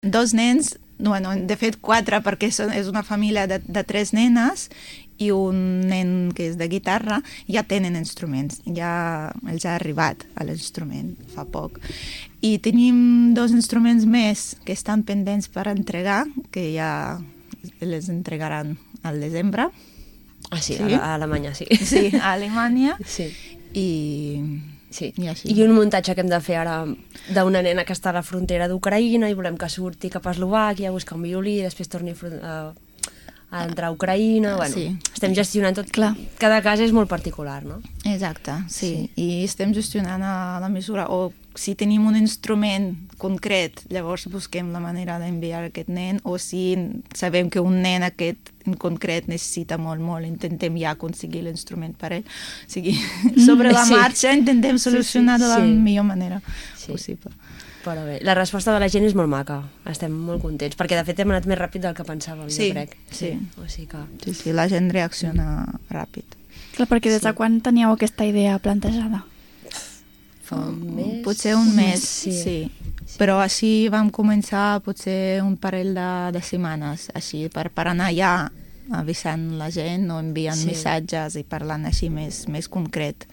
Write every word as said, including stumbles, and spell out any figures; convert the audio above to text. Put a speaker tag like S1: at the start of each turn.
S1: Dos nens, bueno, de fet quatre, perquè és una família de, de tres nenes i un nen que és de guitarra, ja tenen instruments, ja els ha arribat a l'instrument fa poc. I tenim dos instruments més que estan pendents per entregar, que ja les entregaran al desembre.
S2: Ah, sí,
S1: sí?
S2: a Alemanya, sí.
S1: Sí, a Alemanya.
S2: Sí.
S1: I...
S2: Sí.
S1: I, així.
S2: I un muntatge que hem de fer ara d'una nena que està a la frontera d'Ucraïna i volem que surti cap a Eslovàquia a buscar un violí i després torni a, a entrar a Ucraïna. Bueno,
S1: sí.
S2: Estem gestionant tot.
S3: Clar.
S2: Cada cas és molt particular, no?
S1: Exacte, sí.
S2: Sí.
S1: I estem gestionant a la mesura, o si tenim un instrument concret, llavors busquem la manera d'enviar aquest nen, o si sabem que un nen aquest en concret necessita molt, molt, intentem ja aconseguir l'instrument per ell. O sigui, sobre la
S2: sí.
S1: marxa intentem solucionar
S2: sí, sí,
S1: de la
S2: sí.
S1: millor manera
S2: Sí.
S1: possible.
S2: Però bé, la resposta de la gent és molt maca. Estem molt contents, perquè de fet hem anat més ràpid del que pensàvem,
S1: Sí,
S2: jo crec.
S1: sí.
S2: O sigui que...
S1: Sí, sí, la gent reacciona ràpid.
S3: Clar, perquè des de
S2: Sí.
S3: quan teníeu aquesta idea plantejada?
S2: Fa un mes...
S1: Potser un mes,
S2: Sí.
S1: sí. sí. Però així vam començar potser un parell de, de setmanes, així, per, per anar ja avisant la gent o enviant
S2: Sí.
S1: missatges i parlant així més, més concret.